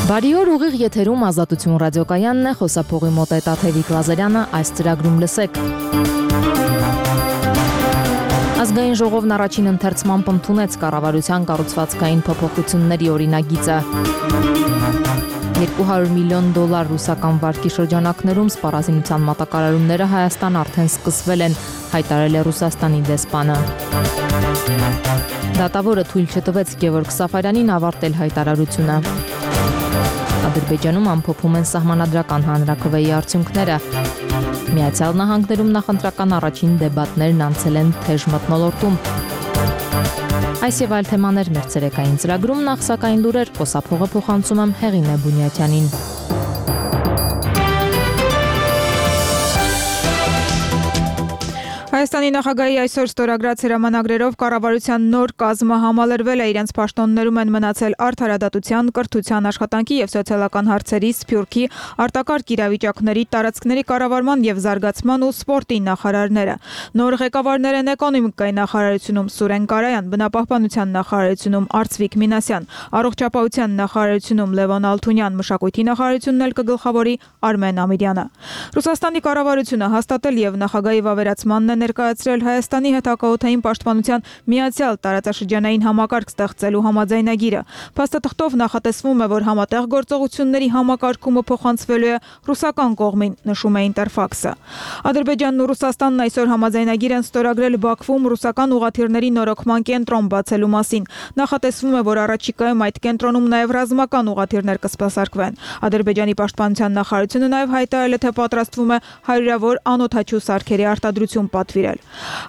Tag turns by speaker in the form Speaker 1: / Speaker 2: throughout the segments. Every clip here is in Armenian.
Speaker 1: Բարի օր, ուղիղ եթերում Ազատություն ռադիոկայանն է, խոսափողի մոտ է Տաթևիկ Լազարյանը, այս ծրագրում լսեք։ Ազգային ժողովն առաջին ընթերցմամբ ընդունեց կառավարության կառուցվածքային փոփոխությունների օրինագիծը։ $200 միլիոն ռուսական վարկի շրջանակներում սպառազինության մատակարարումները Հայաստան արդեն սկսվել են, հայտարարել է Ռուսաստանի դեսպանը։ Դատավորը թույլ չտվեց Գևորգ Սաֆարյանին ավարտել հայտարարությունը։ Ադրբեջանում ամփոփում են սահմանադրական հանրաքվեի արդյունքները։ Միացյալ Նահանգներում նախընտրական առաջին դեբատներն անցել են թեժ մթնոլորտում։ Այս եւ այլ թեմաներ մեր ցերեկային ծրագրում, նախ սակայն լուրեր, խոսափողը փոխանցում եմ Հեղինե Բունյաթյանին։
Speaker 2: Հայաստանի նախագահի այսօր ստորագրած հրամանագրերով կառավարության նոր կազմը համալրվել է, իրենց պաշտոններում են մնացել արդարադատության, կրթության, աշխատանքի եւ սոցիալական հարցերի, սփյուռքի, արտակարգ իրավիճակների, տարածքների կառավարման եւ զարգացման ու սպորտի նախարարները։ Նոր ղեկավարներ են էկոնոմիկայի նախարարությունում Սուրեն Կարայան, բնապահպանության նախարարությունում Արծվիկ Մինասյան, առողջապահության նախարարությունում Լևոն Ալթունյան, մշակույթի նախարարությունն էլ կգլխավորի Արմեն Ամիրյանը։ Ռուսաստանի կառավարությունը հաստատել եւ նախագահի վավերացմանն է ներկայացրել Հայաստանի հետ հակաօդային պաշտպանության միացյալ տարածաշրջանային համակարգ ստեղծելու համաձայնագիրը։ Փաստաթղթով նախատեսվում է, որ համատեղ գործողությունների համակարգումը փոխանցվելու է ռուսական կողմին, նշում է Ինտերֆաքսը։ Ադրբեջանն ու Ռուսաստանն այսօր համաձայնագիր են ստորագրել Բաքվում ռուսական ուղղաթիռների նորոգման կենտրոն բացելու մասին։ Նախատեսվում է, որ առաջիկայում այդ կենտրոնում նաև ռազմական ուղղաթիռներ կսպասարկվեն։ Ադրբեջանի պաշտպանության նախարարությունը նաև հայտարարել է, թե պատրաստվում է հարյուրավոր անօդաչու սարքերի արտադրություն պատվիրել։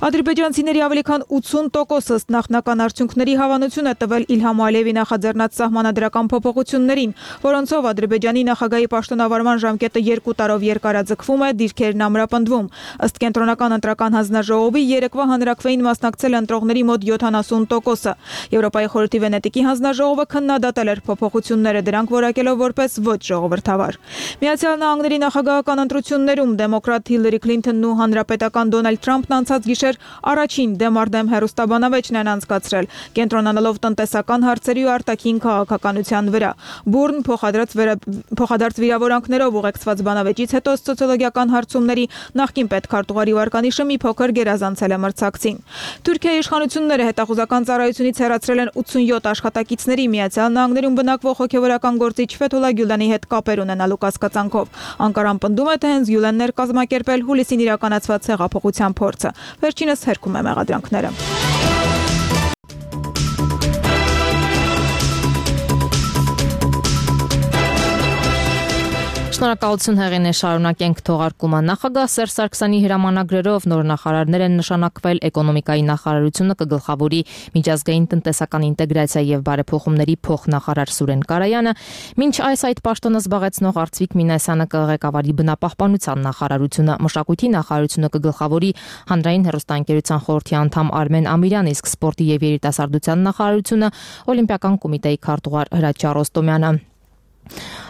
Speaker 2: Ադրբեջանցիների ավելի քան 80%-ը ըստ նախնական արդյունքների հավանություն է տվել Իլհամ Ալիևի նախաձեռնած սահմանադրական փոփոխություններին, որոնցով Ադրբեջանի նախագահի պաշտոնավարման ժամկետը 2 տարով երկարաձգվում է, դիրքերն ամրապնդվում։ Ըստ կենտրոնական ընտրական հանձնաժողովի երեկվա հանրաքվեին մասնակցել ընտրողների մոտ 70%-ը։ Եվրոպայի խորհրդի Վենետիկի հանձնաժողովը քննադատել էր փոփոխությունները, դրանք որակելով որպես ոչ ժողովրդավար։ Միացյալ Նահանգների նախագահական ընտրություններում դեմոկրատ Հիլարի Քլինթոնն ու հանրապետական Դոնալդ Թրամփն անցած գիշեր առաջին դեմ հեռուստաբանավեճն են անցկացրել, կենտրոնանալով տնտեսական հարցերի ու արտաքին քաղաքականության վրա։ Բուրն փոխադարձ վիրավորանքներով ուղեկցված բանավեճից հետո սոցիոլոգիական հարցումների նախկին պետքարտուղարի վարկանիշը մի փոքր գերազանցել է մրցակցին։ Թուրքիայի իշխանությունները հետախուզական ծառայությունից հեռացրել են 87 աշխատակիցների Միացյալ Նահանգներում բնակվող հոգևորական գործիչ Ֆեթոլա Գյուլանի հետ կապեր ունենալու կասկածանքով։ Անկարան պնդում է, թե հենց Գյուլանն էր կազմակերպել հուլիսին իրականացված հեղափոխության փորձը։ Վերջինս հերքում է մեղադրանքները։
Speaker 1: Շնորհակալություն Հեղինե, շարունակենք թողարկումը։ Նախագահ Սերժ Սարգսյանի հրամանագրերով նոր նախարարներ են նշանակվել էկոնոմիկայի նախարարությունը կգլխավորի միջազգային տնտեսական ինտեգրացիա եւ բարեփոխումների փոխնախարար Սուրեն Կարայանը, մինչ այդ պաշտոնը զբաղեցնող Արծվիկ Մինասյանը կղեկավարի բնապահպանության նախարարությունը, մշակույթի նախարարությունը կգլխավորի հանրային հեռուստաընկերության խորհրդի անդամ Արմեն Ամիրյանը, իսկ սպորտի եւ երիտասարդության նախարարությունը Օլիմպիական կոմիտեի քարտուղար Հրաչյա Ռոստոմյանը։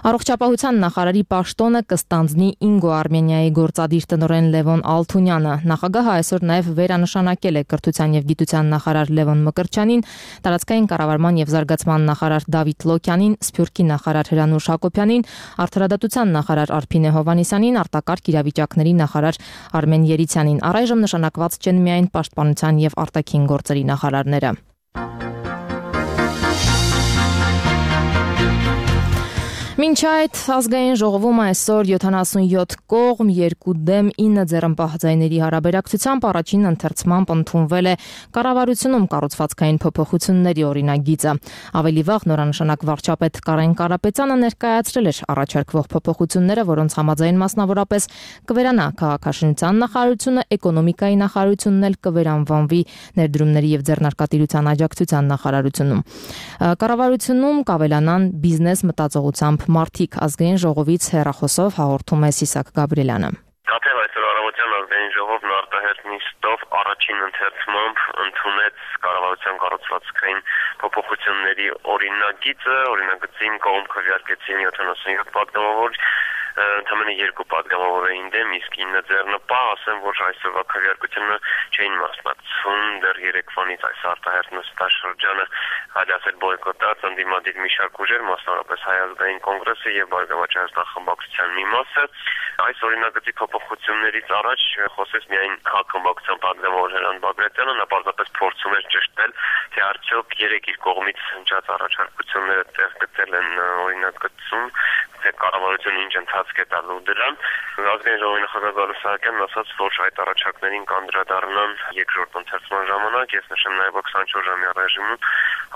Speaker 1: Առողջապահության նախարարի պաշտոնը կստանձնի Ինգո Արմենիայի գործադիր տնօրեն Լևոն Ալթունյանը։ Նախագահը այսօր նաև վերանշանակել է կրթության եւ գիտության նախարար Լևոն Մկրտչյանին, տարածքային կառավարման եւ զարգացման նախարար Դավիթ Լոկյանին, Սփյուռքի նախարար Հրանուշ Հակոբյանին, արդարադատության նախարար Արփինե Հովհաննիսյանին, արտակարգ իրավիճակների նախարար Արմեն Երիցյանին։ Առայժմ նշանակված չեն միայն պաշտպանության եւ արտաքին գործերի նախարարները։ Մինչ այդ ազգային ժողովում այսօր 77 կողմ, 2 դեմ 9 ձեռնպահ ձայների հարաբերակցությամբ առաջին ընթերցմամբ ընդունվել է կառավարությունում կառուցվածքային փոփոխությունների օրինագիծը։ Ավելի վաղ նորանշանակ վարչապետ Կարեն Կարապետյանը ներկայացրել էր առաջարկվող փոփոխությունները, որոնց համաձայն մասնավորապես կվերանա քաղաքաշինության նախարարությունը, էկոնոմիկայի նախարարությունն էլ կվերանվանվի ներդրումների եւ ձեռնարկատիրության աջակցության նախարարությունում։ Կառավարությունում կավելանան բիզնես մտածողությամբ մարդիկ, ազգային ժողովից հեռախոսով հաղորդում է Սիսակ Գաբրիելյանը։
Speaker 3: Թեև այսօր առավոտյան ազգային ժողովն արտահերթ նիստով առաջին ընթերցմամբ ընդունեց կառավարության կառուցվածքային փոփոխությունների օրինագծին կողմ քվեարկեցին 77 պատգամավոր, ընդամենը 2 պատգամավոր էին դեմ, իսկ 9 ձեռնպահ, ասեմ, որ այսօրվա քվեարկությանը չէին մասնակցում, դեռ երեկվանից այս արտահերթ նստաշրջանը հաջացել բոյկոտած ընդդիմադիր մի շարք ուժեր, մասնավորապես Հայ ազգային կոնգրեսը եւ Բարգավաճ Հայաստան խմբակցության մի մասը։ Այս օրինագծի փոփոխություններից առաջ խոսեց միայն քաղաքական պատգամավոր Ժերան Բագրատյանը, նա պարզապես փորձում էր ճշտել, թե արդյոք երեք իր կողմից հնչած առաջարկությունները տեղ գտել են օրինագծում, թե կառավարությունը ինչ ընթացք է տալու դրան։ Ազգային ժողովի նախագահ Գալուստ Սահակյանն ասաց, որ այդ առաջարկներին կանդրադառնան երկրորդ ընթերցման ժամանակ, ես նշեմ նաև 24 ժամյա ռեժիմում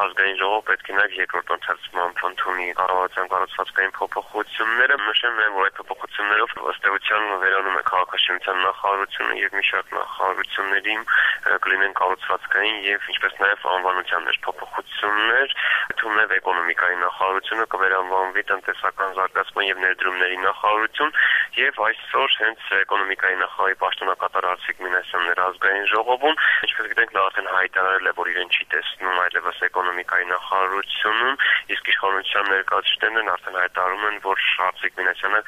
Speaker 3: ազգային ժողովը պետք է նաև երկրորդ ընթերցման ընդունի կառավարության կառուցվածքային փոփոխությունները, նշեմ նաև, որ այդ փոփոխություններով ըստ էության վերանում է քաղաքաշինության նախարարությունը եւ մի շարք նախարարությունների կլինեն կառուցվածքային եւ ինչպես նաեւ անվանության մեջ փոփոխություններ, թվում է էկոնոմիկայի նախարարությունը կվերանվանվի տնտեսական զարգացման եւ ներդրումների նախարարություն եւ այսօր հենց էկոնոմիկայի նախարարի պաշտոնակատար Արծիկ Մինասյանն էր ազգային ժողովում, ինչպես գիտենք նա արդեն հայտարարել է, որ իրեն չի տեսնում այլևս էկոնոմիկայի նախարարությունում, իսկ իշխանության ներկայացուցիչներն արդեն հայտարարում են, որ Արծիկ Մինասյանը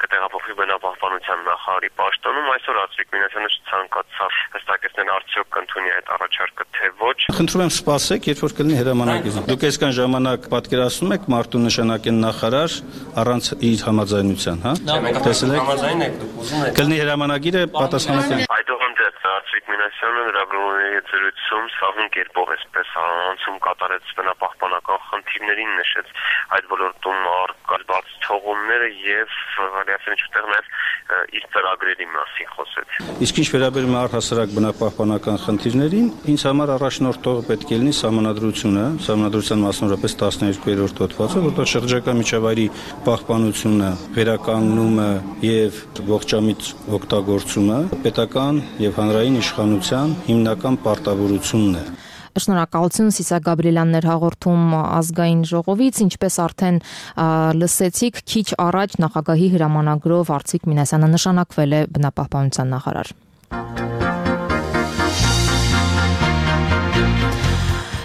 Speaker 3: կտեղափոխվի բնապահպանության նախարարի պաշտոնում։ Այսօր Արծիկ Մինասյանը ցանկացավ հստակեցնել արդյոք կընդունի այդ առաջարկը թե ոչ։
Speaker 4: Խնդրում եմ սպասեք, երբ որ կլինի հրամանագիր։ Դուք այսքան ժամանակ պատկերացնում եք մարդու նշանակեն նախարար առանց իր համաձայնության, հա? Տեսել եք։
Speaker 3: Համաձայն եք դուք ուզում եք։
Speaker 4: Կլինի հրամանագիրը պատասխանատու։
Speaker 3: Այդուհանդերձ Արծիկ Մինասյանը լրագրողների զրույցում սահուն կերպով այսպես անցում կատարեց բնապահպանական խնդիրներին, նշեց այդ ոլորտում առկա բաց թողումները եւ հալիասեն ինչուտեղ նաեւ իր ծրագրերի մասին խոսեց։
Speaker 4: Իսկ ինչ վերաբերում է առհասարակ բնապահպանական խնդիրներին, ինձ համար առաջնորդողը պետք է լինի սահմանադրությունը, սահմանադրության մասնավորապես 12-րդ հոդվածը, որտեղ շրջակա միջավայրի պահպանությունը, վերականգնումը եւ ողջամիտ օգտագործումը պետական եւ հանրային իշխանության հիմնական պարտավորությունն է։
Speaker 1: Շնորհակալություն Սիսակ Գաբրիելյանն էր հաղորդում ազգային ժողովից, ինչպես արդեն լսեցիք, քիչ առաջ նախագահի հրամանագրով Արծիկ Մինասյանը նշանակվել է բնապահպանության նախարար։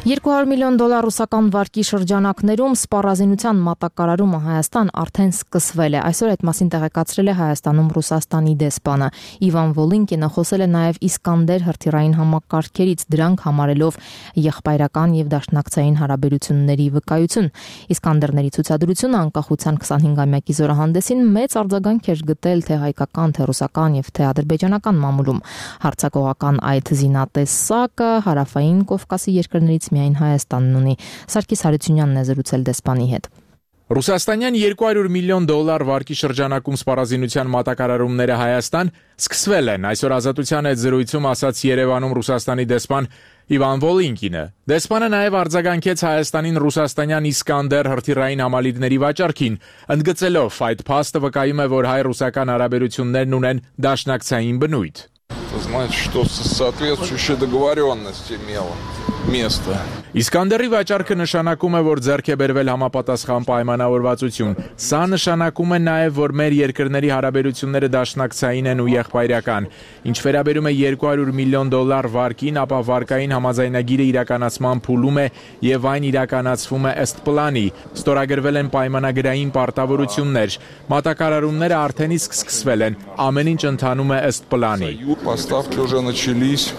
Speaker 1: 200 միլիոն դոլար ռուսական վարկի շրջանակներում սպառազինության մատակարարումը Հայաստան արդեն սկսվել է։ Այսօր այդ մասին տեղեկացրել է Հայաստանում Ռուսաստանի դեսպանը։ Իվան Վոլինկինը խոսել է նաև Իսկանդեր հրթիռային համակարգերից, դրանք համարելով եղբայրական եւ դաշնակցային հարաբերությունների վկայություն։ Իսկանդերների ցուցադրությունը անկախության 25-ամյակի զորահանդեսին մեծ արձագանք էր գտել թե հայկական, թե ռուսական եւ թե ադրբեջանական մամուլում։ Հարձակողական այդ զինատեսակը հարավային Կովկասի երկրներից միայն Հայաստանն ունի։ Սարգիս Հարությունյանն է զրուցել դեսպանի հետ։
Speaker 5: Ռուսաստանյան 200 միլիոն դոլար վարկի շրջանակում սպառազինության մատակարարումները Հայաստան սկսվել են։ Այսօր Ազատության հետ զրույցում ասաց Երևանում Ռուսաստանի դեսպան Իվան Վոլինկինը։ Դեսպանը նաև արձագանքեց Հայաստանին ռուսաստանյան Իսկանդեր հրթիռային համալիրների վաճառքին, ընդգծելով այդ փաստը վկայում է, որ հայ-ռուսական հարաբերություններն ունեն դաշնակցային բնույթ։
Speaker 6: Это значит, что соответствующая договоренность имела место.
Speaker 5: Իսկանդերի վաճառքը նշանակում է, որ ձեռք է բերվել համապատասխան պայմանավորվածություն։ Սա նշանակում է նաև, որ մեր երկրների հարաբերությունները դաշնակցային են ու եղբայրական։ Ինչ վերաբերում է 200 միլիոն դոլար վարկին, ապա վարկային համաձայնագիրը իրականացման փուլում է եւ այն իրականացվում է ըստ պլանի։ Ստորագրվել են պայմանագրային պարտավորություններ։ Մատակարարումները արդեն իսկ սկսվել են։ Ամեն ինչ ընթանում է ըստ պլանի։
Speaker 6: Поставки уже начались.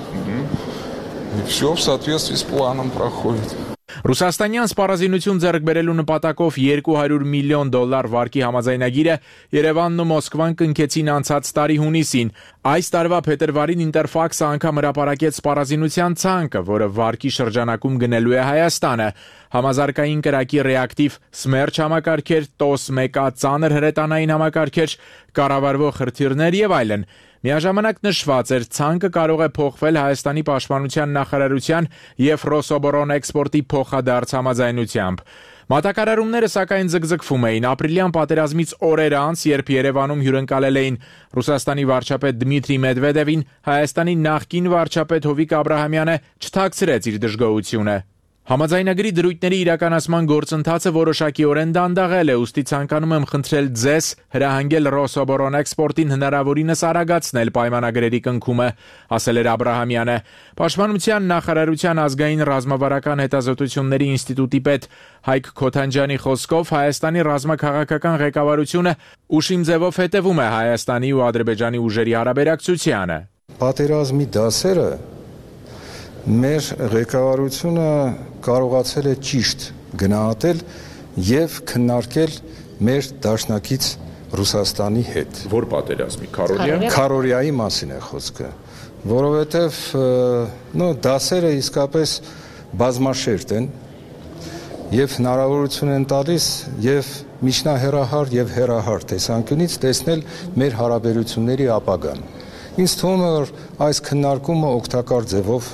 Speaker 6: И все в соответствии с планом проходит.
Speaker 5: Ռուսաստանյան սպառազինություն ձեռք բերելու նպատակով 200 միլիոն դոլար վարկի համաձայնագիրը Երևանն ու Մոսկվան կնքեցին անցած տարի հունիսին։ Այս տարվա փետրվարին Ինտերֆաքսը անգամ հրապարակեց սպառազինության ցանկը, որը վարկի շրջանակում գնելու է Հայաստանը։ Համազարգային կրակի ռեակտիվ Սմերչ համակարգեր, TOS-1 ծանր հրետանային համակարգեր, կառավարվող հրթիռներ եւ այլն։ Միաժամանակ նշված էր, ցանկը կարող է փոխվել Հայաստանի պաշտպանության նախարարության եւ Ռոսոբոռնէքսպորտի փոխադարձ համաձայնությամբ։ Մատակարարումները սակայն ձգձգվում էին ապրիլյան պատերազմից օրեր անց, երբ Երևանում հյուրընկալել էին Ռուսաստանի վարչապետ Դմիտրի Մեդվեդևին, Հայաստանի նախկին վարչապետ Հովիկ Աբրահամյանը չթաքցրեց իր դժգոհությունը։ Համաձայնագրի դրույթների իրականացման գործընթացը որոշակիորեն դանդաղել է, ուստի ցանկանում եմ խնդրել ձեզ հրահանգել Ռոսոբոռնէքսպորտին հնարավորինս արագացնել պայմանագրերի կնքումը, ասել էր Աբրահամյանը։ Պաշտպանության նախարարության ազգային ռազմավարական հետազոտությունների ինստիտուտի պետ Հայկ Քոթանջյանի խոսքով Հայաստանի ռազմաքաղաքական ղեկավարությունը ուշիմ ձևով հետևում է Հայաստանի ու Ադրբեջանի ուժերի հարաբերակցությանը։
Speaker 7: Պատերազմի դասերը մեր ղեկավարությունը կարողացել է ճիշտ գնահատել եւ քննարկել մեր դաշնակից Ռուսաստանի հետ։
Speaker 5: Որ պատերազմի
Speaker 7: Քարորիայի մասին է խոսքը, որովհետեւ դասերը իսկապես բազմաշերտ են եւ հնարավորություն են տալիս եւ միջնահեռահար եւ հեռահար տեսանկյունից տեսնել մեր հարաբերությունների ապագան։ Ինձ թվում է, որ այս քննարկումը օգտակար ձևով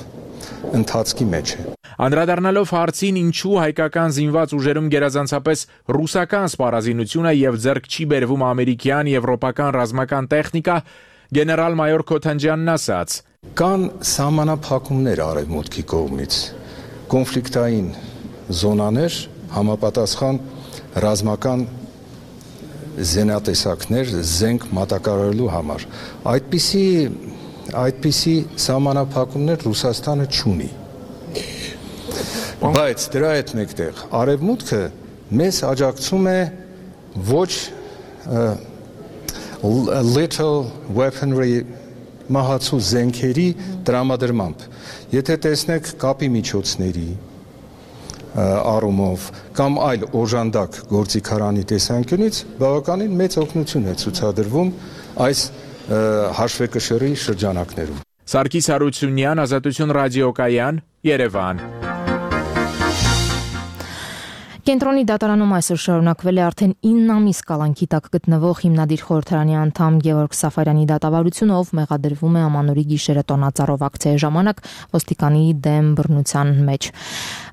Speaker 7: ընթացքի մեջ է։
Speaker 5: Անդրադառնալով հարցին, ինչու հայկական զինված ուժերում գերազանցապես ռուսական սպառազինությունը եւ ձեռք չի բերվում ամերիկյան, եվրոպական ռազմական տեխնիկա, գեներալ-մայոր Քոթանջյանն ասաց.
Speaker 7: Կան սահմանափակումներ արևմուտքի կողմից, կոնֆլիկտային զոնաներ, համապատասխան ռազմական զենատեսակներ, զենք մատակարարելու համար։ Այդպիսի սահմանափակումներ Ռուսաստանը չունի։ Բայց դրա հետ մեկտեղ արևմուտքը մեզ աջակցում է ոչ little weaponry մահացու զենքերի տրամադրմամբ։ Եթե տեսնեք կապի միջոցների առումով կամ այլ օժանդակ գործիքարանի տեսանկյունից բավականին մեծ օգնություն է ցուցադրվում այս հաշվեկշռի շրջանակներում։
Speaker 5: Սարգիս Հարությունյան, Ազատություն ռադիոկայան, Երևան։
Speaker 1: Կենտրոնի դատարանում այսօր շարունակվել է արդեն 9 ամիս կալանքի տակ գտնվող հիմնադիր խորհրդարանի անդամ Գևորգ Սաֆարյանի դատավարությունը, ով մեղադրվում է Ամանորի գիշերը տոնածառով ակցիայի ժամանակ ոստիկանի դեմ բռնության մեջ։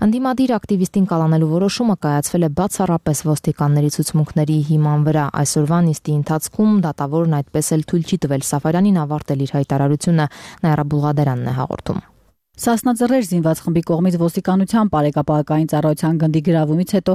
Speaker 1: Անդիմադիր ակտիվիստին կալանելու որոշումը կայացվել է բացառապես ոստիկանների ցուցմունքների հիման վրա։ Այսօրվա նիստի ընթացքում դատավորն այդպես էլ թույլ չի տվել Սաֆարյանին ավարտել իր հայտարարությունը, Նայրա Բուլղադերանն է հաղորդում։
Speaker 8: Սասնաձեռեր զինված խմբի կողմից ոստիկանության բարեկապակային ծառայության գնդի գրավումից հետո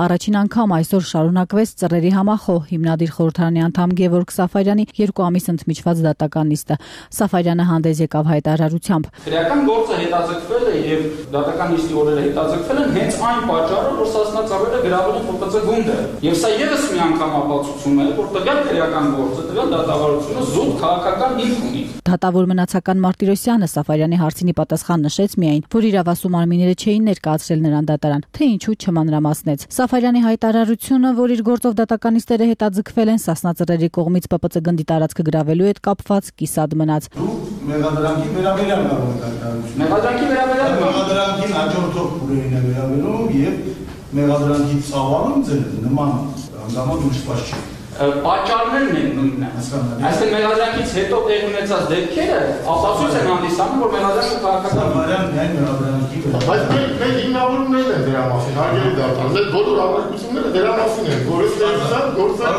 Speaker 8: առաջին անգամ այսօր շարունակվեց ծռերի համախոհ հիմնադիր խորհրդարանի անդամ Գևորգ Սաֆարյանի 2 ամիս ընդմիջված դատական նիստը։ Սաֆարյանը հանդես եկավ հայտարարությամբ.
Speaker 9: Քրեական գործը հետաձգվել է եւ դատական նիստի օրերը հետաձգվել են հենց այն պատճառով, որ սասնաձեռերը գրավել են ՀՊԿ գունդը։ Եվ սա եւս մի անգամ ապացուցում է, որ տվյալ քրեական գործը, տվյալ դատավարությունը զուտ քաղաքական հիմք ունի։
Speaker 8: Դատավոր մնացական Մարտիրոսյանը Սաֆարյանի հարցինի պատասխան նշեց միայն, որ իրավասու մարմինները չէին ներկայացրել նրան դատարան, թե ինչու չմանրամասնեց։ Սաֆարյանի հայտարարությունը, որ իր գործով դատականիստերը հետաձգվել են սասնաձեռերի կողմից ՊՊՑ գնդի տարածքը գրավելու հետ կապված կիսատ մնաց։
Speaker 10: Մեղադրանքի վերաբերյալ կարող եք հայտարարություն։
Speaker 9: Մեղադրանքի վերաբերյալ
Speaker 10: մեղադրանքին հաջորդող փուլերին է վերաբերում եւ մեղադրանքի ծավալում ձեր նման հանգամանք նշված չի։
Speaker 9: Պատճառներն են նույնն։ Այսինքն մեղադրանքից հետո տեղ ունեցած դեպքերը ապացույց են հանդիսանում, որ մեղադրանքը քաղաքական
Speaker 10: վարյան միայն մեղադրանքի վրա։
Speaker 11: Բայց մեր հիմնավորումներն են դրա մասին, հարգելի դատան, մեր բոլոր հավաքությունները դրա մասին են, որ գործը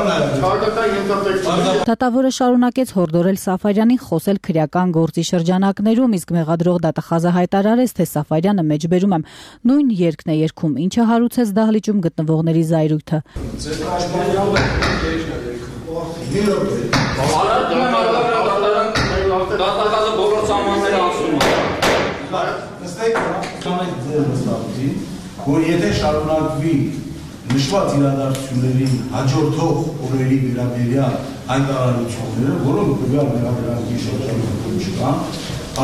Speaker 11: քաղաքական ենթատեքստը։
Speaker 8: Դատավորը շարունակեց հորդորել Սաֆարյանին խոսել քրեական գործի շրջանակներում, իսկ մեղադրող դատախազը հայտարարեց, թե Սաֆարյանը մեջբերում է նույն երգն է երգում, ինչը հարուցեց դահլիճում գտնվողների զայրույթը։
Speaker 9: Դատակազը բոլոր սահմանները անցնում է։
Speaker 10: Որ եթե շարունակվի նշված իրադարձություններին հաջորդող օրերի վերաբերյալ հայտարարությունները, որոնք տվյալ մեղադրանքի շրջանակում չկան,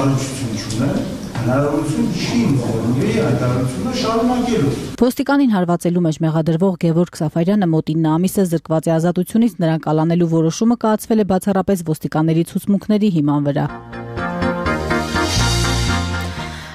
Speaker 10: առնչություն չունեն, հնարավորություն չի ընձեռնի հայտարարությունը շարունակելու։
Speaker 8: Ոստիկանին հարվածելու մեջ մեղադրվող Գևորգ Սաֆարյանը մոտ 9 ամիս է զրկված է ազատությունից, նրան կալանելու որոշումը կայացվել է բացառապես ոստիկանների ցուցմունքների հիման վրա։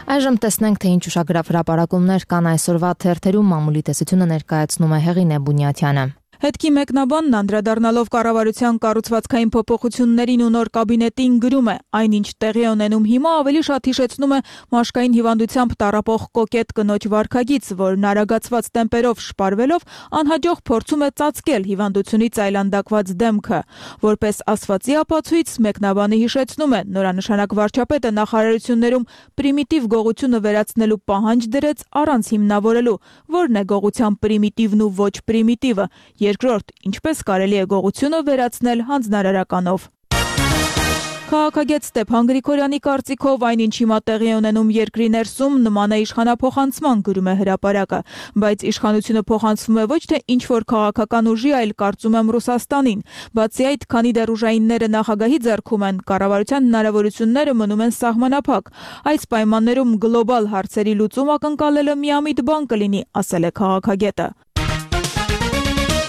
Speaker 1: Այժմ տեսնենք, թե ինչ ուշագրավ հրապարակումներ կան այսօրվա թերթերում, մամուլի տեսությունը ներկայացնում է Հեղինե Բունյաթյանը։
Speaker 2: Հետքի մեկնաբանն անդրադառնալով կառավարության կառուցվածքային փոփոխություններին ու նոր կաբինետին գրում է. այնինչ տեղի ունենում հիմա ավելի շատ հիշեցնում է մաշկային հիվանդությամբ տառապող կոկետ կնոջ վարքագիծ, որն արագացված տեմպերով շպարվելով անհաջող փորձում է ծածկել հիվանդությունից այլանդակված դեմքը։ Որպես ասվածի ապացույց մեկնաբանը հիշեցնում է, նորանշանակ վարչապետը նախարարություններում պրիմիտիվ գողությունը վերացնելու պահանջ դրեց առանց հիմնավորելու, որն է գողության պրիմիտիվն ու ոչ պրիմիտիվը։ Երկրորդ, ինչպես կարելի է գողությունը վերացնել հանձնարարականով։ Քաղաքագետ Ստեփան Գրիգորյանի կարծիքով այն ինչ հիմա տեղի ունենում երկրի ներսում նման է իշխանափոխանցման, գրում է հրապարակը, բայց իշխանությունը փոխանցվում է ոչ թե ինչ-որ քաղաքական ուժի, այլ կարծում եմ Ռուսաստանին։ Բացի այդ, քանի դեռ ուժայինները նախագահի ձեռքում են, կառավարության հնարավորությունները մնում են սահմանափակ։ Այս պայմաններում գլոբալ հարցերի լուծում ակնկալելը միամիտ բան կլինի, ասել է քաղաքագետը։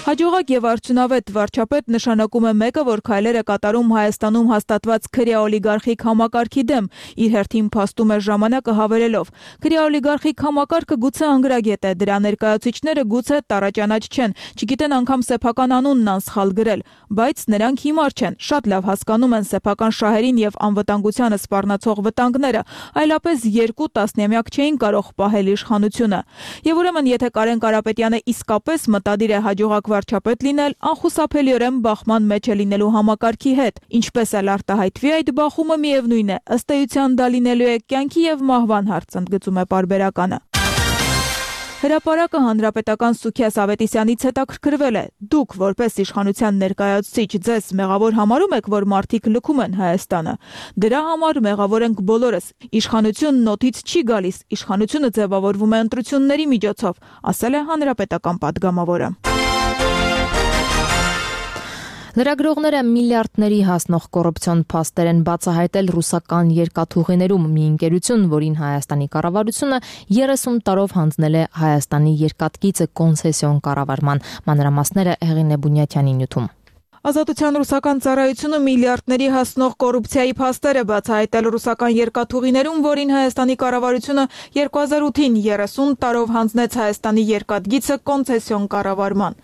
Speaker 2: Հաջողակ եւ արդյունավետ վարչապետ նշանակում է մեկը, որ քայլերը կատարում Հայաստանում հաստատված քրեաօլիգարխիկ համակարգի դեմ, իր հերթին փաստում է ժամանակը հավելելով. քրեաօլիգարխիկ համակարգը գուցե անգրագետ է, դրա ներկայացուցիչները գուցե տառաճանաչ չեն, չգիտեն անգամ սեփական անունն անսխալ գրել, բայց նրանք հիմար չեն, շատ լավ հասկանում են սեփական շահերին եւ անվտանգությանը սպառնացող վտանգները, այլապես 2 տասնամյակ չէին կարող պահել իշխանությունը։ Եվ ուրեմն, եթե Կարեն Կարապետյանը իսկապես մտադիր է հաջողակ վարչապետ լինել, անխուսափելիորեն բախման մեջ է լինելու համակարգի հետ։ Ինչպես էլ արտահայտվի այդ բախումը, միևնույն է, ըստ էության դա լինելու է կյանքի եւ մահվան հարց, ընդգծում է պարբերականը։ Հրապարակը հանրապետական Սուքիաս Ավետիսյանից հետաքրքրվել է. Դուք, որպես իշխանության ներկայացուցիչ, ձեզ մեղավոր համարում եք, որ մարդիկ լքում են Հայաստանը։ Դրա համար մեղավոր ենք բոլորս։ Իշխանությունն օդից չի գալիս, իշխանությունը ձևավորվում է ընտրությունների միջոցով, ասել է հանրապետական պատգամավորը։ Լրագրողները միլիարդների հասնող կոռուպցիոն փաստեր են բացահայտել ռուսական երկաթուղիներում մի ընկերություն, որին Հայաստանի կառավարությունը 30 տարով հանձնել է Հայաստանի երկաթգիծը կոնցեսիոն կառավարման։ Մանրամասները Հեղինե Բունյաթյանի նյութում։ Ազատության ռուսական ծառայությունը միլիարդների հասնող կոռուպցիայի փաստեր է բացահայտել ռուսական երկաթուղիներում, որին Հայաստանի կառավարությունը 2008-ին 30 տարով հանձնեց Հայաստանի երկաթգիծը կոնցեսիոն կառավարման։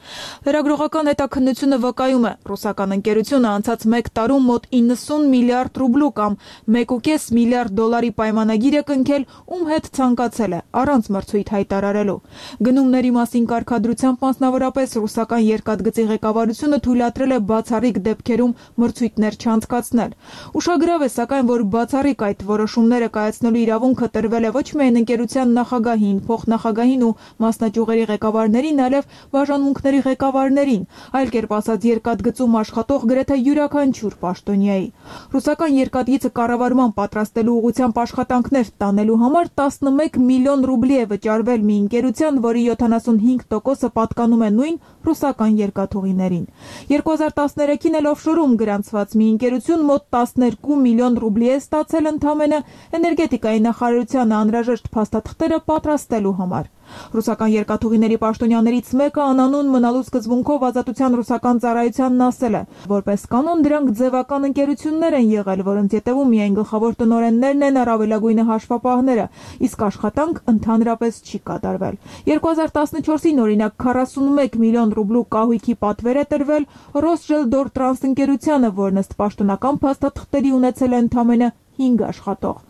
Speaker 2: Լրագրողական հետաքննությունը վկայում է, ռուսական ընկերությունը անցած 1 տարում մոտ 90 միլիարդ ռուբլու կամ 1.5 միլիարդ դոլարի պայմանագիր է կնքել, ում հետ ցանկացել է, առանց մրցույթ հայտարարելու։ Գնումների մասին կարգադրությամբ մասնավորապես ռուսական երկաթգծի ղեկավարությունը թույլատրել է բացառիկ դեպքերում մրցույթներ չանցկացնել։ Ուշագրավ է, սակայն, որ բացառիկ այդ որոշումները կայացնելու իրավունքը տրվել է ոչ միայն ընկերության նախագահին, փոխնախագահին ու մասնաճյուղերի ղեկավարներին, այլև բաժանմունքների ղեկավարներին, այլ կերպ ասած երկաթգծում աշխատող գրեթե յուրաքանչյուր պաշտոնյայի։ Ռուսական երկաթգիծը կառավարման պատրաստելու ուղղությամբ աշխատանքներ տանելու համար 11 միլիոն ռուբլի է վճարվել մի ընկերության, որի 75%-ը պատկանում է նույն ռուսական երկաթուղիներին։ 2013-ին էլ օֆշորում գրանցված մի ընկերություն մոտ 12 միլիոն ռուբլի է ստացել ընդամենը էներգետիկայի նախարարությանը անհրաժեշտ փաստաթղթերը պատրաստելու համար։ Ռուսական երկաթուղիների պաշտոնյաներից մեկը անանուն մնալու սկզբունքով Ազատության ռուսական ծառայությանն ասել է, որպես կանոն դրանք ձևական ընկերություններ են եղել, որոնց ետևում միայն գլխավոր տնօրեններն են, առավելագույնը հաշվապահները, իսկ աշխատանք ընդհանրապես չի կատարվել։ 2014-ին օրինակ 41 միլիոն ռուբլու կահույքի պատվեր է տրվել Ռոսժելդորտրանս ընկերությանը, որն ըստ պաշտոնական փաստաթղթերի ունեցել է ընդամենը 5 աշխատող։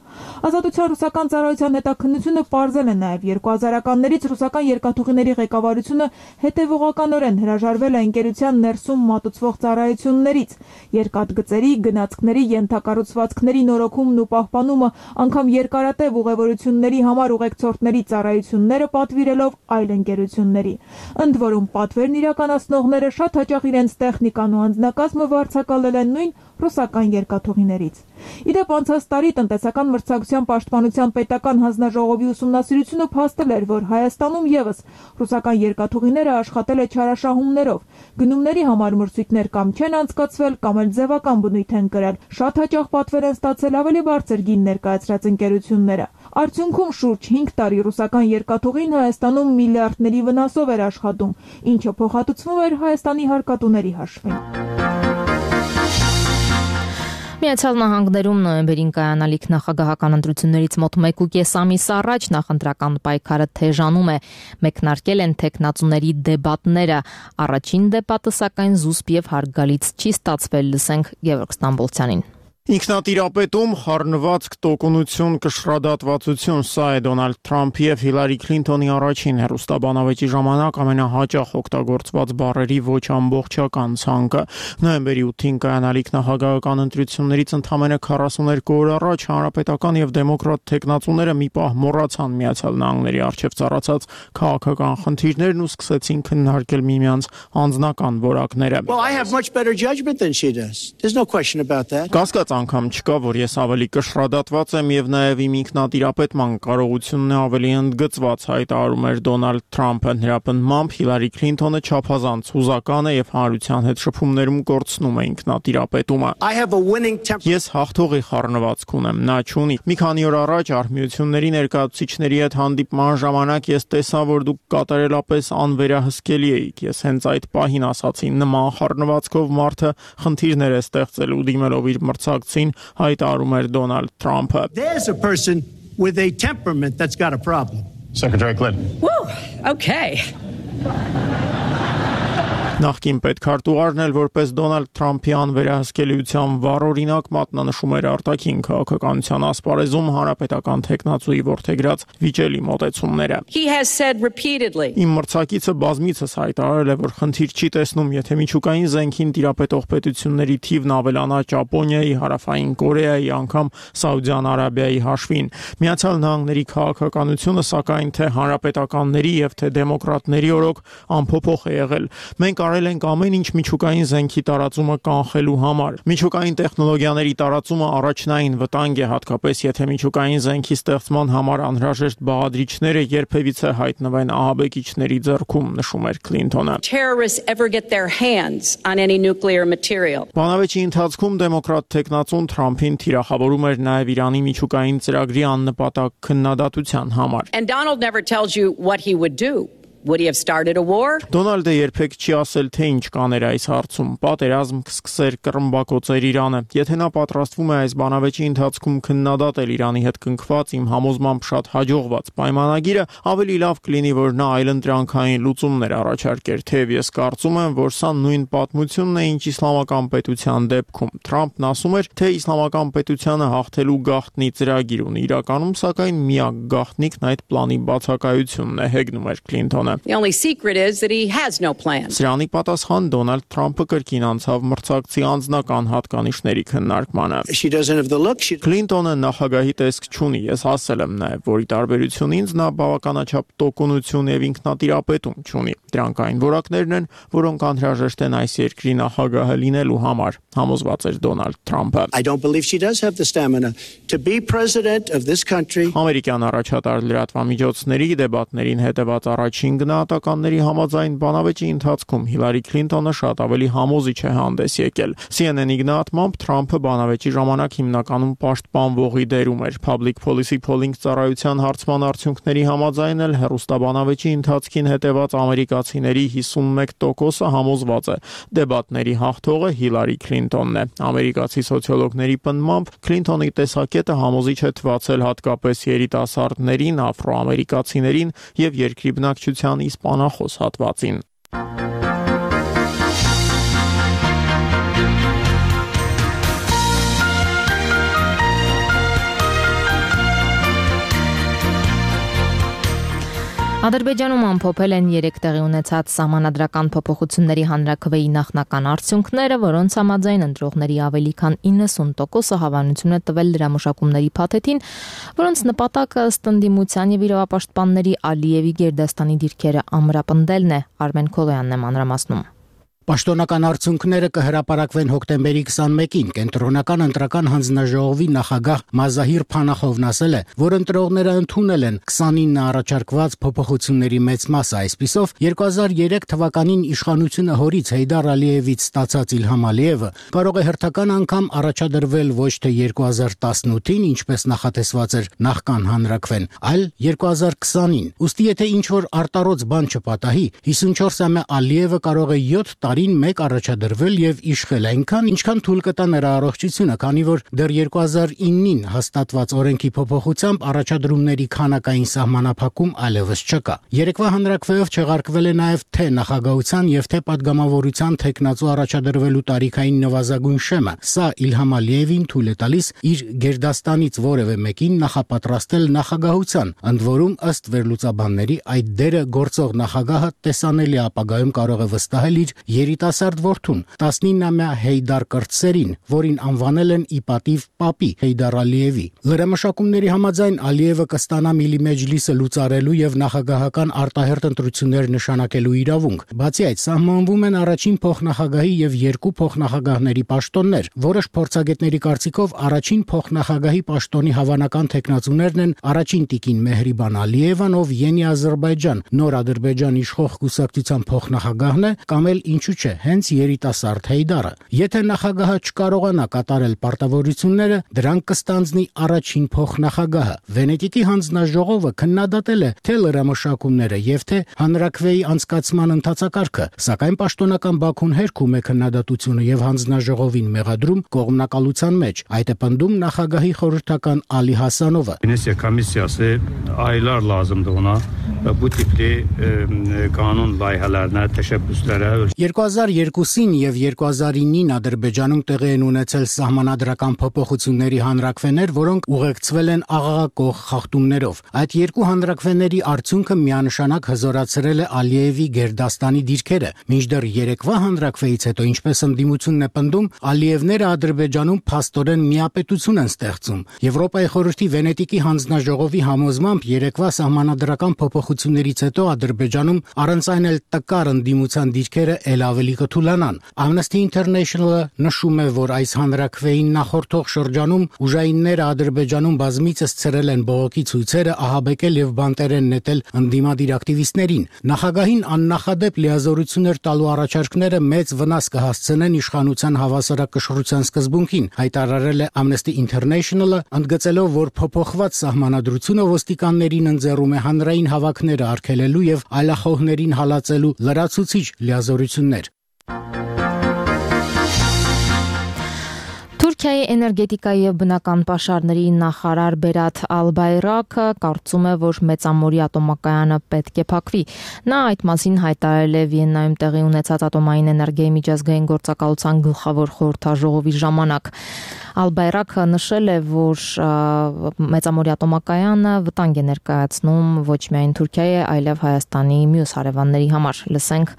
Speaker 2: Ազատության ռուսական ծառայության հետաքննությունը պարզել է նաև 2000-ականներից ռուսական երկաթուղիների ղեկավարությունը հետևողականորեն հրաժարվել է ընկերության ներսում մատուցվող ծառայություններից, երկաթգծերի, գնացքների, ենթակառուցվածքների նորոգումն ու պահպանումը, անգամ երկարատև ուղևորությունների համար ուղեկցորդների ծառայությունները պատվիրելով այլ ընկերությունների։ Ընդ որում պատվերն իրականացնողները շատ հաճախ իրենց տեխնիկան ու անձնակազմը վարձակալել են նույն ռուսական երկաթուղիներից։ Իդեպ անցած տարի տնտեսական մրցակցության պաշտպանության պետական հանձնաժողովի ուսումնասիրությունը փաստել էր, որ Հայաստանում եւս ռուսական երկաթուղիները աշխատել է չարաշահումներով, գնումների համար մրցույթներ կամ չեն անցկացվել, կամ էլ ձևական բնույթ են կրել, շատ հաճախ պատվեր են ստացել ավելի բարձր գին ներկայացրած ընկերությունները։ Արդյունքում շուրջ 5 տարի ռուսական երկաթուղին Հայաստանում միլիարդների վնասով էր աշխատում, ինչը փոխհատուցվում էր Հայաստանի հարկատուների հաշվին։ Միացյալ Նահանգներում նոյեմբերին կայանալիք նախագահական ընտրություններից մոտ 1.5 ամիս առաջ նախընտրական պայքարը թեժանում է, մեկնարկել են թեկնածուների դեբատները, առաջին դեբատը սակայն զուսպ եւ հարգալից չի ստացվել, լսենք Գևորգ Ստամբոլցյանին։
Speaker 12: Ինքնատիրապետում խառնված տոկունություն, կշռադատվածություն, սա է Դոնալդ Թրամփի եւ Հիլարի Քլինթոնի առաջին հեռուստաբանավեճի ժամանակ ամենահաճախ օգտագործված բառերի ոչ ամբողջական ցանկը։ Նոյեմբերի 8-ին կայանալիք նախագահական ընտրություններից ընդամենը 42 օր առաջ հանրապետական եւ դեմոկրատ թեկնածուները մի պահ մոռացան Միացյալ Նահանգների առջեւ ծառացած քաղաքական խնդիրներն ու սկսեցին քննարկել միմյանց անձնական որակները։
Speaker 13: Well, I have much better judgment than she does. There's no question about that.
Speaker 12: անգամ չկա, որ ես ավելի կշռադատված եմ եւ նաեւ իմ ինքնատիրապետման կարողությունն է ավելի ընդգծված, հայտարարում էր Դոնալդ Թրամփը։ Նրա պնդմամբ Հիլարի Քլինթոնը չափազանց հուզական է եւ հանրության հետ շփումներում կորցնում է ինքնատիրապետումը։ Ես հաղթողի խառնվածք ունեմ, նա չունի։ Մի քանի օր առաջ արհմիությունների ներկայացուցիչների հետ հանդիպման ժամանակ ես տեսա, որ դուք կատարելապես անվերահսկելի էիք։ Ես հենց այդ պահին ասացի, նման խառնվածքով մարդը խնդիրներ է ստեղծել ու դիմելով իր մրցակցին, հայտարարում էր Դոնալդ Թրամփը։
Speaker 13: There's a person with a temperament that's got a problem.
Speaker 11: Secretary Clinton.
Speaker 13: Woo, okay.
Speaker 12: Նախկին պետքարտուղարն էլ որպես Դոնալդ Թրամփի անվերահսկելիության վառօրինակ մատնանշում էր արտաքին քաղաքականության ասպարեզում հանրապետական տեխնացուի որդեգրած վիճելի մոտեցումները։
Speaker 13: He has said repeatedly.
Speaker 12: Իմ մրցակիցը բազմիցս հայտարարել է, որ խնդիր չի տեսնում, եթե միջուկային զենքին տիրապետող պետությունների թիվն ավելանա Ճապոնիայի, Հարավային Կորեայի, անգամ Սաուդյան Արաբիայի հաշվին։ Միացյալ Նահանգների քաղաքականությունը սակայն թե հանրապետականների եւ թե դեմոկրատների օրոք անփոփոխ է եղել։ Մենք արել ենք ամեն ինչ միջուկային զենքի տարածումը կանխելու համար։ Միջուկային տեխնոլոգիաների տարածումը առաջնային վտանգ է, հատկապես եթե միջուկային զենքի ստեղծման համար անհրաժեշտ բաղադրիչները երբևիցե հայտնվեն ահաբեկիչների ձեռքում, նշում էր Քլինթոնը։
Speaker 13: Terrorists ever get their hands on any nuclear material.
Speaker 12: Բանավեճի ընթացքում դեմոկրատ տեխնացուն Թրամփին թիրախավորում էր նաև Իրանի միջուկային ծրագրի աննպատակ քննադատության համար։
Speaker 13: And Donald never tells you what he would do. Would he have started a war?
Speaker 12: Դոնալդը երբեք չի ասել, թե ինչ կաներ այս հարցում։ Պատերազմ կսկսեր, կռմբակոծեր Իրանը։ Եթե նա պատրաստվում է այս բանավեճի ընթացքում քննադատել Իրանի հետ կնքված իմ համոզմամբ շատ հաջողված պայմանագիրը, ավելի լավ կլինի, որ նա այլընտրանքային լուծումներ առաջարկեր, թեև ես կարծում եմ, որ սա նույն պատմությունն է, ինչ իսլամական պետության դեպքում։ Թրամփն ասում էր, թե իսլամական պետությանը հաղթելու գաղտնի ծրագիր ունի։ Իրականում, սակայն, միակ գաղտնիքն այդ պլանի բացակայությունն է, հեգնում էր Քլինթոնը։
Speaker 13: The only secret is that he has no plan.
Speaker 12: Սրանի պատասխան Դոնալդ Թրամփը կրկին անցավ մրցակցի անձնական հատկանիշների քննարկմանը։
Speaker 13: She doesn't have the look.
Speaker 12: Քլինտոնը նախագահի տեսք չունի, ես ասել եմ նաև, որ ի տարբերություն ինձ նա բավականաչափ տոկունություն եւ ինքնատիրապետում չունի։ Դրանք այն որակներն են, որոնք անհրաժեշտ են այս երկրի նախագահը լինելու համար, համոզված էր Դոնալդ Թրամփը։
Speaker 13: I don't believe she does have the stamina to be president of this country.
Speaker 12: Ամերիկյան առաջատար լրատվամիջոցների դեբատներին հետևած առաջին գնահատականների համաձայն բանավեճի ընթացքում Հիլարի Քլինտոնը շատ ավելի համոզիչ է հանդես եկել։ CNN-ի գնահատմամբ Թրամփը բանավեճի ժամանակ հիմնականում պաշտպանվողի դերում էր։ Public Policy Polling ծառայության հարցման արդյունքների համաձայն էլ հեռուստաբանավեճի ընթացքին հետևած ամերիկացիների 51%-ը համոզված է դեբատների հաղթողը Հիլարի Քլինտոնն է։ Ամերիկացի սոցիոլոգների պնդմամբ Քլինտոնի տեսակետը համոզիչ է թվացել հատկապես երիտասարդներին, աֆրոամերիկացիներին եւ երկրի բնակչության իսպանախոս հատվածին։
Speaker 1: Ադրբեջանում ամփոփել են 3 տեղի ունեցած սահմանադրական փոփոխությունների հանրաքվեի նախնական արդյունքները, որոնց համաձայն ընտրողների ավելի քան 90%-ը հավանություն է տվել լրամշակումների փաթեթին, որոնց նպատակը ըստ ընդդիմության եւ իրավապաշտպանների Ալիևի Գերդաստանի դիրքերը ամրապնդելն է։ Արմեն Քոլոյանն է մանրամասնում։
Speaker 14: Պաշտոնական արդյունքները կհրապարակվեն հոկտեմբերի 21-ին։ Կենտրոնական ընտրական հանձնաժողովի նախագահ Մազահիր Փանախովն ասել է, որ ընտրողները ընդունել են 29 առաջարկված փոփոխությունների մեծ մասը, այսպիսով 2003 թվականին իշխանությունը հորից Հեյդար Ալիևից ստացած Իլհամ Ալիևը կարող է հերթական անգամ առաջադրվել ոչ թե 2018-ին, ինչպես նախատեսված էր նախքան հանրաքվեն, այլ 2020-ին։ Ուստի եթե ինչ-որ արտառոց բան չպատահի, 54-ամյա Ալիևը կարող է 7 տարին մեկ առաջադրվել եւ իշխել այնքան, ինչքան թույլ կտա նրա առողջությունը, քանի որ դեռ 2009-ին հաստատված օրենքի փոփոխությամբ առաջադրումների քանակային սահմանափակում այլևս չկա։ Երեկվա հանրաքվեով չեղարկվել է նաեւ թե նախագահության եւ թե падգամավորության տեխնացու առաջադրվելու տարիքային նվազագույն շեմը։ Սա Իլհամ Ալիևին թույլ է տալիս իր Գերդաստանից որևէ մեկին նախապատրաստել նախագահության, ընդ որում ըստ վերլուծաբանների այդ դերը գործող նախագահը տեսանելի ապագայում կարող է վստահել իր երիտասարդ որդուն՝ 19-ամյա Հեյդար Կրտսերին, որին անվանել են ի պատիվ պապի Հեյդար Ալիևի։ Լրամշակումների համաձայն Ալիևը կստանա Միլի Մեջլիսը լուծարելու եւ նախագահական արտահերտ ընտրություններ նշանակելու իրավունք։ Բացի այդ, սահմանվում են առաջին փոխնախագահի եւ երկու փոխնախագահների պաշտոններ, որոշ փորձագետների կարծիքով առաջին փոխնախագահի պաշտոնի հավանական թեկնածուներն են առաջին տիկին Մեհրիբան Ալիևան, ով Յենի Ադրբեջան, նոր Ադրբեջան իշխող կուսակցության փոխնախագահն է, կամ էլ ինչու՞ չէ, հենց երիտասարդ Հեյդարը։ Եթե նախագահը չկարողանա կատարել պարտավորությունները, դրանք կստանձնի առաջին փոխնախագահը։ Վենետիկի հանձնաժողովը քննադատել է թե լրամշակումները եւ թե հանրաքվեի անցկացման ընթացակարգը, սակայն պաշտոնական Բաքուն հերքում է քննադատությունը եւ հանձնաժողովին մեղադրում կողմնակալության մեջ։ Այդ է պնդում նախագահի խորհրդական Ալի Հասանովը։
Speaker 15: Վենեցիա կոմիսիası aylar lazımdı ona bu tipli kanun layihələrinə, təşəbbüslərə
Speaker 14: 2002-ին եւ 2009-ին Ադրբեջանում տեղի են ունեցել սահմանադրական փոփոխությունների հանրաքվեներ, որոնք ուղեկցվել են աղաղակող խախտումներով։ Այդ երկու հանրաքվեների արդյունքը միանշանակ հզորացրել է Ալիևի Գերդաստանի դիրքերը։ Մինչդեռ երեկվա հանրաքվեից հետո, ինչպես ընդդիմությունն է պնդում, Ալիևները Ադրբեջանում փաստորեն միապետություն են ստեղծում։ Եվրոպայի խորհրդի Վենետիկի հանձնաժողովի համոզմամբ երեկվա սահմանադրական փոփոխություններից հետո Ադրբեջանում առանց այն էլ տկար ընդդիմության դիրքերը ել ավելի կթուլանան։ Amnesty International-ը նշում է, որ այս հանրաքվեին նախորդող շրջանում ուժայինները Ադրբեջանում բազմիցս ցրել են բողոքի ցույցերը, ահաբեկել եւ բանտերեն նետել ընդդիմադիր ակտիվիստներին։ Նախագահին աննախադեպ լիազորություններ տալու առաջարկները մեծ վնաս կհասցնեն իշխանության հավասարակշռության սկզբունքին, հայտարարել է Amnesty International-ը, ընդգծելով, որ փոփոխված սահմանադրությունը ոստիկաններին ընձեռում է հանրային հավաքները արգելելու եւ այլախոհներին հալածելու լրացուցիչ լիազորություններ։
Speaker 1: Թուրքիայի էներգետիկայի եւ բնական պաշարների նախարար Բերաթ Ալբայրակը կարծում է, որ Մեծամորի ատոմակայանը պետք է փակվի։ Նա այդ մասին հայտարարել է Վիեննայում տեղի ունեցած ատոմային էներգիայի միջազգային գործակալության գլխավոր խորհրդաժողովի ժամանակ։ Ալբայրակը նշել է, որ Մեծամորի ատոմակայանը վտանգ է ներկայացնում ոչ միայն Թուրքիայի, այլև Հայաստանի մյուս հարևանների համար։ Լսենք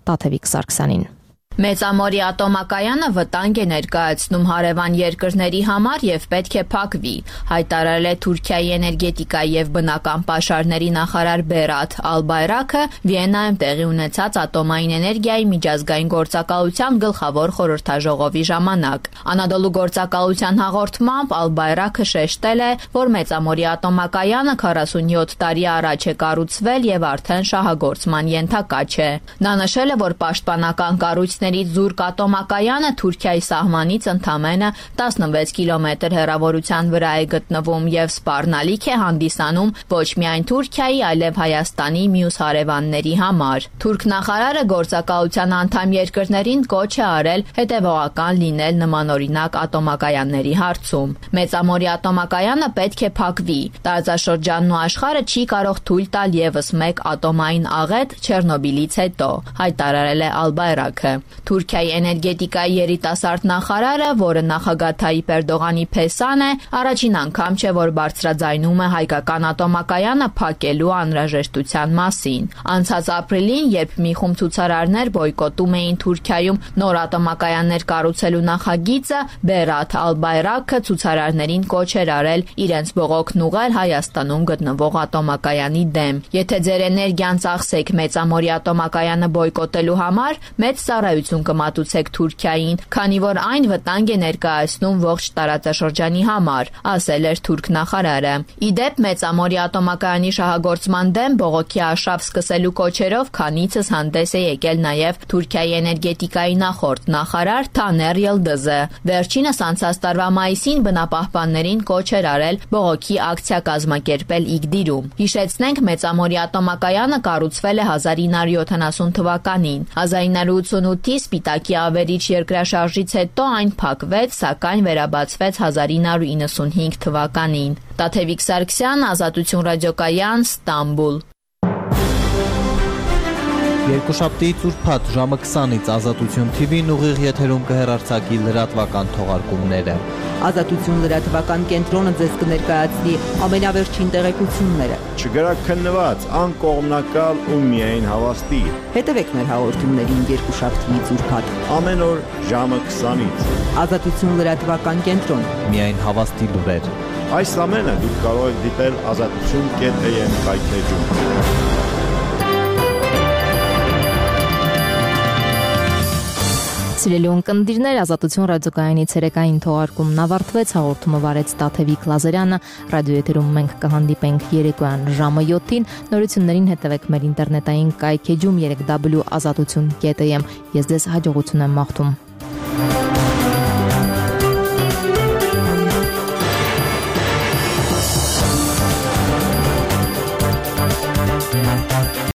Speaker 1: Տաթևիկ Սարգսյանին։
Speaker 16: Մեծամորի ատոմակայանը վտանգ է ներկայացնում հարևան երկրների համար եւ պետք է փակվի, հայտարարել է Թուրքիայի էներգետիկայի եւ բնական պաշարների նախարար Բերաթ Ալբայրակը Վիեննայում տեղի ունեցած ատոմային էներգիայի միջազգային գործակալության գլխավոր խորհրդաժողովի ժամանակ։ Անադոլու գործակալության հաղորդմամբ Ալբայրակը շեշտել է, որ Մեծամորի ատոմակայանը 47 տարի առաջ է կառուցվել եւ արդեն շահագործման ենթակա չէ։ Նա նշել է, որ պաշտպանական կառույցների Զուրկ ատոմակայանը Թուրքիայի սահմանից ընդամենը 16 կիլոմետր հեռավորության վրա է գտնվում եւ սպառնալիք է հանդիսանում ոչ միայն Թուրքիայի, այլև Հայաստանի մյուս հարևանների համար։ Թուրք նախարարը գործակալության անդամ երկրներին կոչ է արել հետևողական լինել նմանօրինակ ատոմակայանների հարցում։ Մեծամորի ատոմակայանը պետք է փակվի։ Տարածաշրջանն ու աշխարհը չի կարող թույլ տալ եւս մեկ ատոմային աղետ Չեռնոբիլից հետո, հայտարարել է Ալբայրակը։ Թուրքիայի էներգետիկայի երիտասարդ նախարարը, որը նախագահ Թայիպ Էրդողանի փեսան է, առաջին անգամ չէ, որ բարձրաձայնում է հայկական ատոմակայանը փակելու անհրաժեշտության մասին։ Անցած ապրիլին, երբ մի խումբ ցուցարարներ բոյկոտում էին Թուրքիայում նոր ատոմակայաններ կառուցելու նախագիծը, Բերաթ Ալբայրակը ցուցարարներին կոչ էր արել իրենց բողոքն ուղղել Հայաստանում գտնվող ատոմակայանի դեմ։ Եթե ձեր էներգիան ծախսեք Մեծամորի ատոմակայանը բոյկոտելու համար, մեծ ծառայություն կմատուցեք Թուրքիային, քանի որ այն վտանգ է ներկայացնում ողջ տարածաշրջանի համար, ասել էր թուրք նախարարը։ Իդեպ Մեծամորի ատոմակայանի շահագործման դեմ բողոքի արշավ սկսելու կոչերով քանիցս հանդես է եկել նաև Թուրքիայի էներգետիկայի նախորդ նախարար Թաներ Յիլդիզը։ Վերջինս անցած տարվա մայիսին բնապահպաններին կոչ էր արել բողոքի ակցիա կազմակերպել Իգդիրում։ Հիշեցնենք, Մեծամորի ատոմակայանը կառուցվել է 1970 թվականին։ 1988-ի Սպիտակի ավերիչ երկրաշարժից հետո այն փակվեց, սակայն վերաբացվեց 1995 թվականին։ Տաթևիկ Սարգսյան, Ազատություն ռադիոկայան, Ստամբուլ։
Speaker 17: Երկուշաբթիից ուրբաթ ժամը 20-ից Ազատություն TV-ն ուղիղ եթերում կհեռարձակի լրատվական թողարկումները։
Speaker 18: Ազատություն լրատվական կենտրոնը ձեզ կներկայացնի ամենավերջին տեղեկությունները։
Speaker 19: Չգրաքննված, անկողմնակալ ու միայն հավաստի։
Speaker 18: Հետևեք մեր հաղորդումներին երկուշաբթիից ուրբաթ
Speaker 19: ամեն օր ժամը 20-ից։
Speaker 18: Ազատություն լրատվական կենտրոն։
Speaker 17: Միայն հավաստի լուրեր։
Speaker 19: Այս ամենը դուք կարող եք դիտել azatutun.am կայքեջում։
Speaker 1: Սիրելի ունկնդիրներ, Ազատություն ռադիոկայանի ցերեկային թողարկումն ավարտվեց, հաղորդումը վարեց Տաթևիկ Լազարյանը, ռադիոեթերում մենք կհանդիպենք երեկոյան ժամը 7-ին, նորություններին հետևեք մեր ինտերնետային կայքեջում www.azatutun.am։ Ես ձեզ հաջողություն եմ մաղթում։